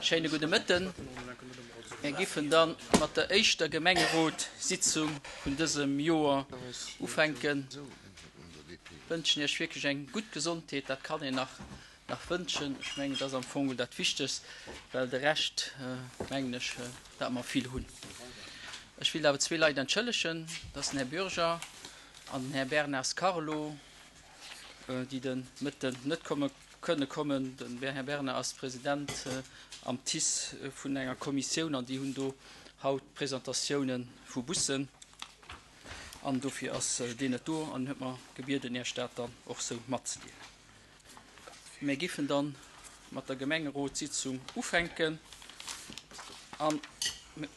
Schéine gudde Mëtten. Mir giffen dann mat der éischter Gemengerotssitzung vun dësem Joer ufänken. Wënschen Iech wierklech eng gutt Gesondheet, dat kann een nach nach wënschen. Ech mengen, dat ass am Fong dat Wichtegst, well de Rescht, mengen ech, dat mer vill hunn. Ech wéilt awer zwee Leit entschëllegen, dat ass den Här Bürger an den Här Bernard Carlo, déi de Mëtten net komme kënne kommen. Den Här Bernard ass President am TICE vun enger Kommissioun an déi hunn do haut Presentatiounen vu Bussen an dofir ass deen net do an huet mer gebieden, Iech dat dann och sou matzedeelen. Mir giffen dann mat der Gemengerotssitzung ufänken. An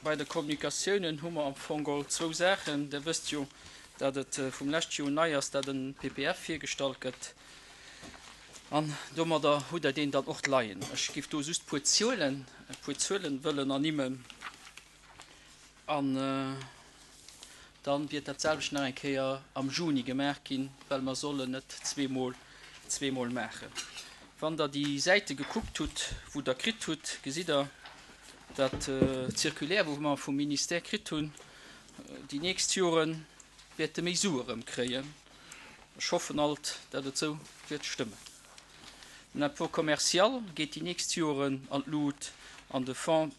bei de Kommunikatiounen hu mer am Fong geholl zwou Saachen. Der wësst jo, dat et vum lescht Joer nei ass, dat en PPF virgestallt gëtt. An domadder hutt Der deen dann och leien. Ech giff do just puer Zuelen, e puer Zuelen wëllen ernimmen. An dann wiert dat selwecht nach eng Kéier am Juni gemaach ginn, well mer sollen et zweemol, zweemol maachen. Wann Der déi Säite gekuckt hutt, wou Der kritt hutt, gesitt Der, dat d'Circulaire, wou mer vum Ministère kritt hunn, déi nächst Jore wäerte méi Sue erëmkréien. Ech hoffen alt, dat et esou wäert stëmmen. Den Impôt commercial geet déi nächst Joren an d'Lut an de Fonds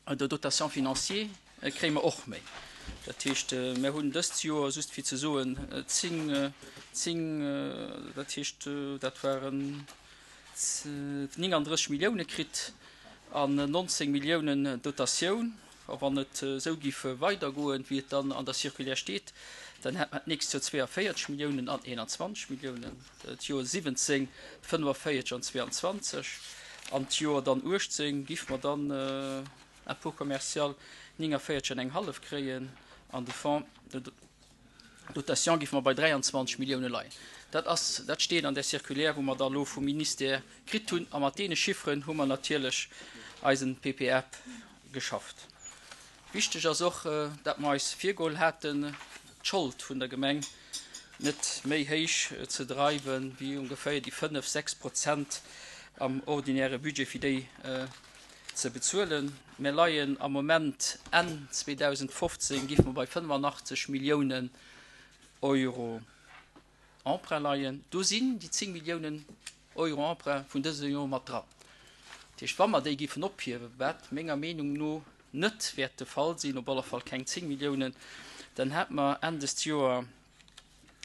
de dotation financier kréie mer och méi. Dat heescht, mer hunn dëst Joer, just fir ze soen, 10, 10, dat heescht, dat waren 39 Millioune kritt an 19 Milliounen Dotatioun. A wann et esou géif weidergoen, wéi et dann an der Circulaire steet, dann hätt mer d'nächst Joer 42 Milliounen an 21 Milliounen, d'Joer 17 45 an 22 an d'Joer dann 18 géife mer dann Impôt commercial 49 an eng hallef kréien an de Fonds de dotation géife mer bei 23 Millioune leien. Dat ass, dat steet an där Circulaire, wou mer da elo vum Ministère kritt hunn. A mat deene Chifferen hu mer natierlech eisen PPF geschafft. Wichteg ass och, dat mer eis virgeholl haten, d'Schold vun der Gemeng net méi héich ze dreiwen, wéi ongeféier déi 5, 6 Prozent am ordinäre Budget, fir déi ze bezuelen. Mir leien am Moment, Enn 2015 géife mer bei 85 Milliounen Euro Emprunt leien. Do sinn déi 10 Milliounen Euro Emprunt vun dësem Joer mat dran. Dat heescht, wa mer déi géifen ophiewen, wat menger Meenung no net wäert de Fall sinn, op alle Fall keng 10 Milliounen, dann hätte mer Enn dëst Joer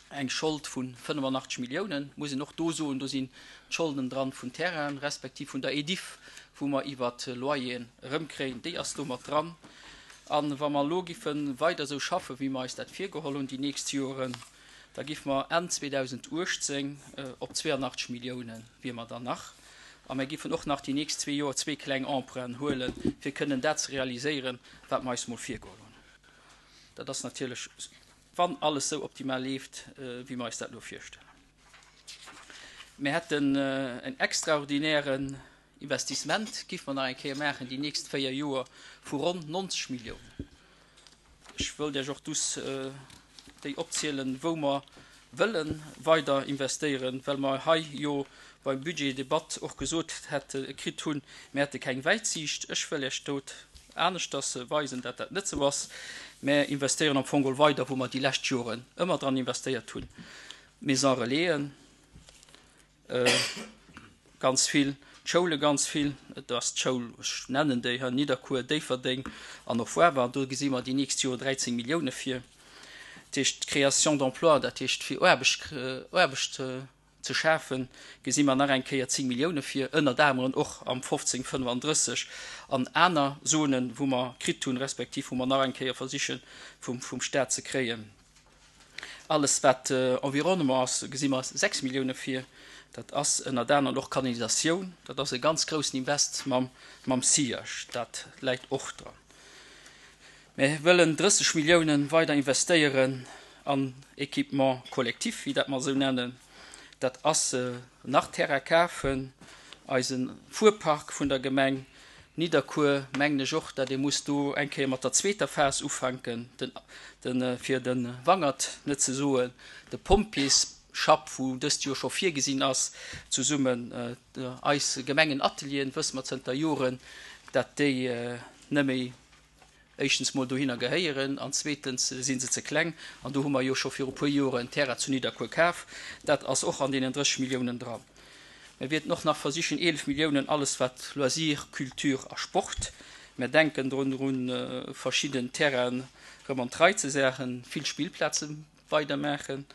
eng Schold vu 85 Milliounen. Muss een och do soen, do sinn d'Scholden dran vun Terrainen, respektiv vun der Ediff, wou mer iwwert Loyeren erëmkréien, déi ass do mat dran. A wa mer elo giffe weider esou schaffen, wéi mer eis dat virgeholl hunn déi nächst Joren, da giffe mer Enn 2018 op 82 Milliounen wier mer dann nach. A mer giffen och nach déi nächst zwee Joer zwee kleng Emprunten huelen, fir kënnen dat ze realiséieren, wat mer eis mol virgeholl hunn. Dat ass natierlech, wann alles sou optimal leeft, wéi mer eis dat elo virstellen. Mir hätten en extraordinären Investissement, giffe mer nach eng Kéier maachen déi nächst véier Joer, vu ronn 90 Milliounen. Ech wëllt Iech och dus déi opzielen, wou mer wëlle weider investéieren, well mer hei jo beim Budgetdebatt och gesot hätte kritt hunn, mir hätte keng Wäitsiicht. Ech wëll Iech dot aneschters weisen, dat dat net esou ass. Mer investéieren am Fong geholl weider, wou mer déi lescht Joren ëmmer dran investéiert hunn, Maisons Relaisen, Ganz vill, d'Schoule ganz vill. Et ass d'Schoul, ech nennen déi hei, Nidderkuer, Déifferdeng an och Woarwer. Do gesi mer déi nächst Joer 13 Millioune vir. Dat heescht d'Création d'emplois, dat heescht fir Aarbecht, Aarbecht ze schafen, gesi mer nach eng Kéier 10 Millioune vir, ënnert aneren och am 15 35 an aner Zonen, wou mer kritt hunn, respektiv wou mer nach eng Kéier versiche vum, vum Stat ze kréien. Alles wat Environnement ass, gesi mer 6 Millioune vir. Dat ass ënnert anerem och Kanalisatioun. Dat ass e ganz groussen Invest mam SIAG. Dat läit och dran. Mir wëllen 30 Millioune weider investéieren an Équipement collectif, wéi dat mer esou nennen. Dat ass nach Terrain kafen, eise Fuerpark vun der Gemeng Nidderkuer, mengen ech och, dat ee muss do eng Kéier mat der zweeter Phas ufänken, den, den, fir de Wangert net ze soen, de Pompjees. Schapp, wou dëst Joer scho virgesinn ass, zesummen eis Gemengenatelieren, wësse mer zënter Joren, dat déi net méi éischtens mol dohinner gehéieren an zweetens si se ze kleng. An do hu mer jo scho viru puer Joren en Terrain zu Nidderkuer kaf. Dat ass och an deenen 30 Milliounen dran. Mir wierten och nach versichen 11 Milliounen alles wat Loisir, Culture a Sport, mir denken drun drun verschidden Terrainen erëm an d'Rei ze saachen, vill Spillplaze weidermaachen.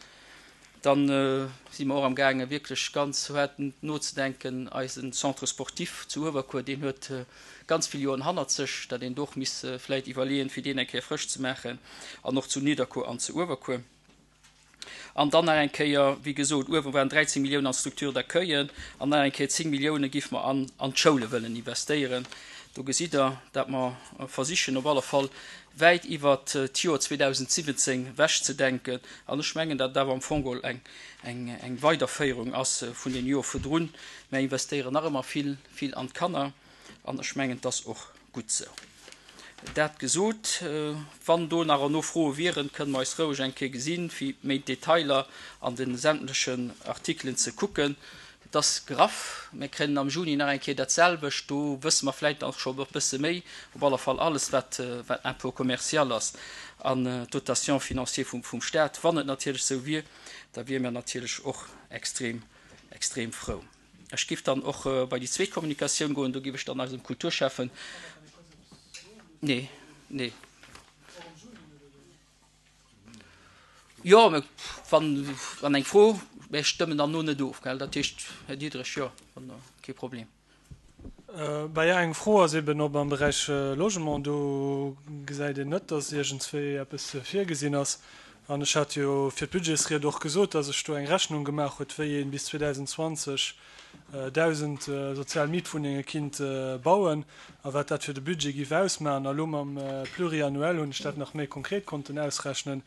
Dann si mer och am gaange wierklech ganz haart nozedenken, eisen Centre sportif zu Uewerkuer, deen huet ganz vill Joren hannert sech, datt een do och misst vläit iwwerleeën, fir deen eng Kéier frësch ze maachen, an och zu Nidderkuer an zu Uewerkuer. An dann nach eng Kéier, wéi gesot, uewe waren 13 Milliounen an d'Structure d'accueillen an nach eng Kéier 10 Millioune giff mer an an d'Schoule wëllen investéieren. Do gesitt Der, datt mer versichen op alle Fall wäit iwwert d'Joer 2017 wechzedenken. An ech mengen, datt et awer am Fong geholl eng eng Weiderféierung ass vun deem Joer virdrun. Mer investéieren nach ëmmer vill, vill an d'Kanner an ech mengen, et ass och gutt esou. Dat gesot, wann do nach erno Froe wieren, kënne mer eis roueg eng Kéier gesinn, fir méi d'Detailer an de sämtlechen Artikelen ze kucken. Et ass graff. Mir kréien am Juni nach eng Kéier dat selwecht. Do wësse mer vläicht och scho e bësse méi. Op alle Fall alles, wat Impôt commercial ass an d'Dotation financière vum Stat. Wann et natierlech esou wier, da wiere mir natierlech och extrem, extrem frou. Ech géif dann och bei déi zweet Kommunikatioun goen. Do géif ech dann eisem Kulturschäffen. Nee, nee. Jo, mä wann, wann eng Fro, mä ech stëmmen dann no net of, gell? Dat heescht, Här Diderich, jo, wann, kee Problem. Bah ja, eng Fro ass eben, ob am Beräich Logement, do gesäit een net, dass iergendswéi eppes virgesinn ass. An ech hat jo fir d'Budgetsried och gesot, dass ech do eng Rechnung gemaach huet, wéi ee bis 2020 1.000 sozial Mietwunnenge kinnt bauen a wat dat fir de Budget giff ausmachen. A lo mam Pluriannuel hunn ech dat nach méi konkret konnten ausrechnen.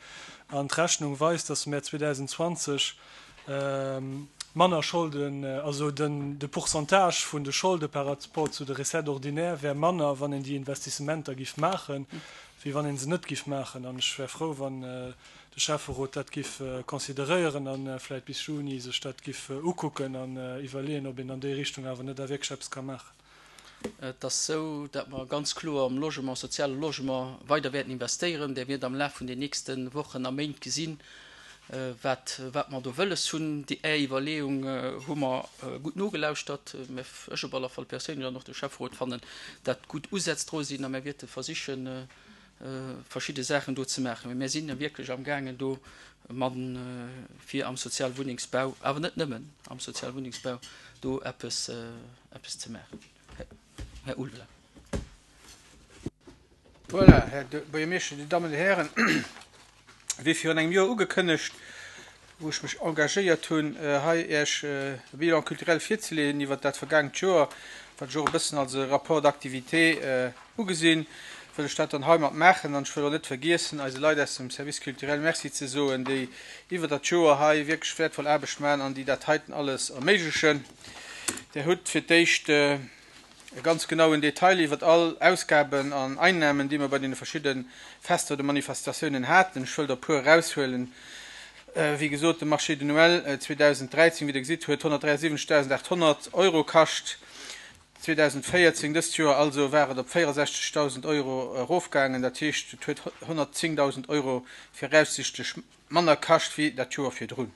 An d'Rechnung weist, dass mär 2020 manner Scholden, also den de Pourcentage vun de Scholde par rapport zu de Recettes ordinaires wär manner, wann een déi Investissementer giff maachen, wéi wann ee se net giff maachen. An ech wär frou, wann de Schäfferot dat giff consideréieren a vläit bis Juni sech dat giff ukucken an iwwerleeën, ob een an déi Richtung awer net da wierklech eppes ka maachen. Et ass esou, datt mer ganz kloer am Logement, soziale Logement weider wäerten investéieren. Där wiert am Laf vun den nächste Wochen a Méint gesinn, wat wat mer do wëlles hunn. Déi Är Iwwerleeung hu mer gutt nogelauschtert. Mä ech op alle Fall perséinlech an och de Schäfferot fannen dat gutt Usätz dru sinn a mer wäerte versichen, verschidde Saachen do ze maachen. Mä mir sinn wierklech amgaangen do man fir am Sozialwunnengsbau, awer net nëmmen am Sozialwunnengsbau, do eppes, eppes ze maachen. Här Ulveling. Voilà, Här Buergermeeschter, Dir Dammen, Dir Hären, wéi virun engem Joer ugekënnegt, wou ech mech engagéiert hunn, hei Iech e Bilan culturel virzeleeën iwwert dat vergaangent Joer, wat ech och e bëssen als e Rapport d'activité ugesinn, wëll ech dat dann heimat maachen. An ech wëll och net vergiessen, eise Leit aus dem Service culturel Merci ze soen, déi iwwert dat Joer hei wierklech wäertvoll Aarbecht maachen an déi dat heiten alles erméiglechen. Där hutt fir d'éischt e ganz genauen Detail iwwert all Ausgaben an Einnahmen, déi mer bei deene verschidde Fester oder Manifestatiounen haten. Ech wëll der e puer eraushuelen. Wéi gesot, de Marché de Noël 2013, wéi Der gesitt, huet 173.800 Euro kascht. 2014, dëst Joer also, war et op 64.000 Euro erofgaangen. Dat heescht, et huet 110.000 Euro viraussichtlech manner kascht wéi dat Joer virdrun.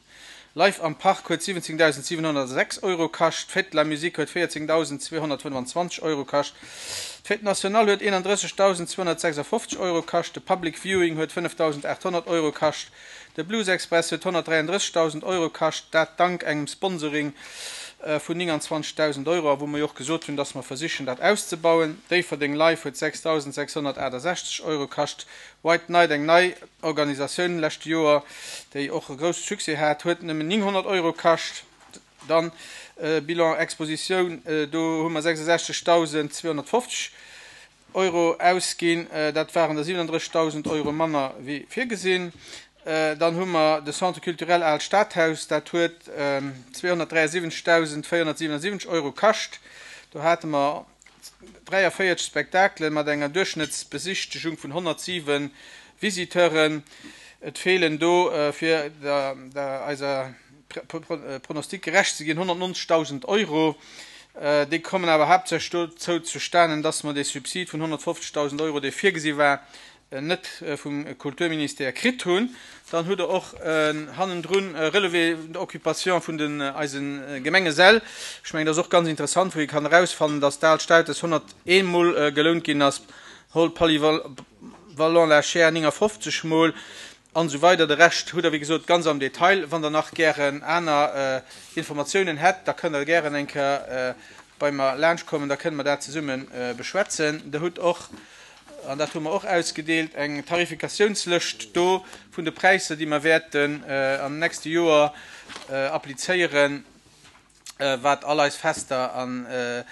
Live am Park huet 17.706 Euro kascht, d'Fête de la Musique huet 14.225 Euro kascht, d'Fête nationale huet 31.256 Euro kascht, de Public Viewing huet 5.800 Euro kascht, de Blues Express huet 133.000 Euro kascht, dat dank engem Sponsoring vun 29.000 Euro a wou mer jo och gesot hunn, dass mer versichen dat auszebauen. Déifferdeng Live huet 6.668 Euro kascht, White Night, eng nei Organisatioun leschte Joer, déi och e grousse Succès hat, huet nëmmen 900 Euro kascht. Dann Bilan Expositioun, do hu mer 66.250 Euro ausginn, dat waren der 37.000 Euro manner wéi virgesinn. Dann hu mer de Centre culturel Aalt Stadhaus, dat huet 273.477 Euro kascht. Do hate mer 43 Spektakele mat enger Duerchschnëttsbesichtegung vun 107 Visiteuren. Et feelen do fir der eiser. Pronostic gerecht ze ginn, 190.000 Euro. Déi kommen awer haaptsächlech dozou zustanen, dass mer dee Subsid vun 150.000 Euro, dee virgesi war, net vum Kulturministère kritt hunn. Dann hutt Der och hannendrun e Relevé d'occupation vun den eise Gemengesäll. Ech mengen, dat ass och ganz interessant, wou ee kann erausfannen, dass d'Aalt Stautes 101 Mol gelount ginn ass, Hall Polyvalent La Chaire 59 Mol an esou weider. De Rescht hutt Der, wéi gesot, ganz am Detail. Wann Der nach gären aner Informatiounen hätt, da kënnt Der gären eng Kéier bei mer laanschtkommen, da kënne mer dat zesumme beschwätzen. Der hutt och, an dat hu mer och ausgedeelt, eng Tarifikatiounslëscht do vun de Präisser, déi mer wäerten am nächste Joer applizéieren. wat all eis Fester an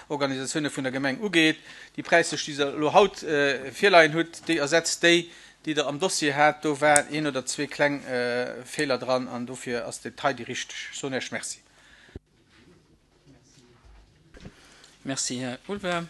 Organisatioune vun der Gemeng ugeet. Déi Präislëscht, déi Der elo haut virleien hutt, déi ersetzt déi, déi Der am Dossier hat. Do waren een oder zwee kleng Feeler dran an dofir ass dat hei déi richteg. Ech soen Iech Merci. Merci, Här Ulver.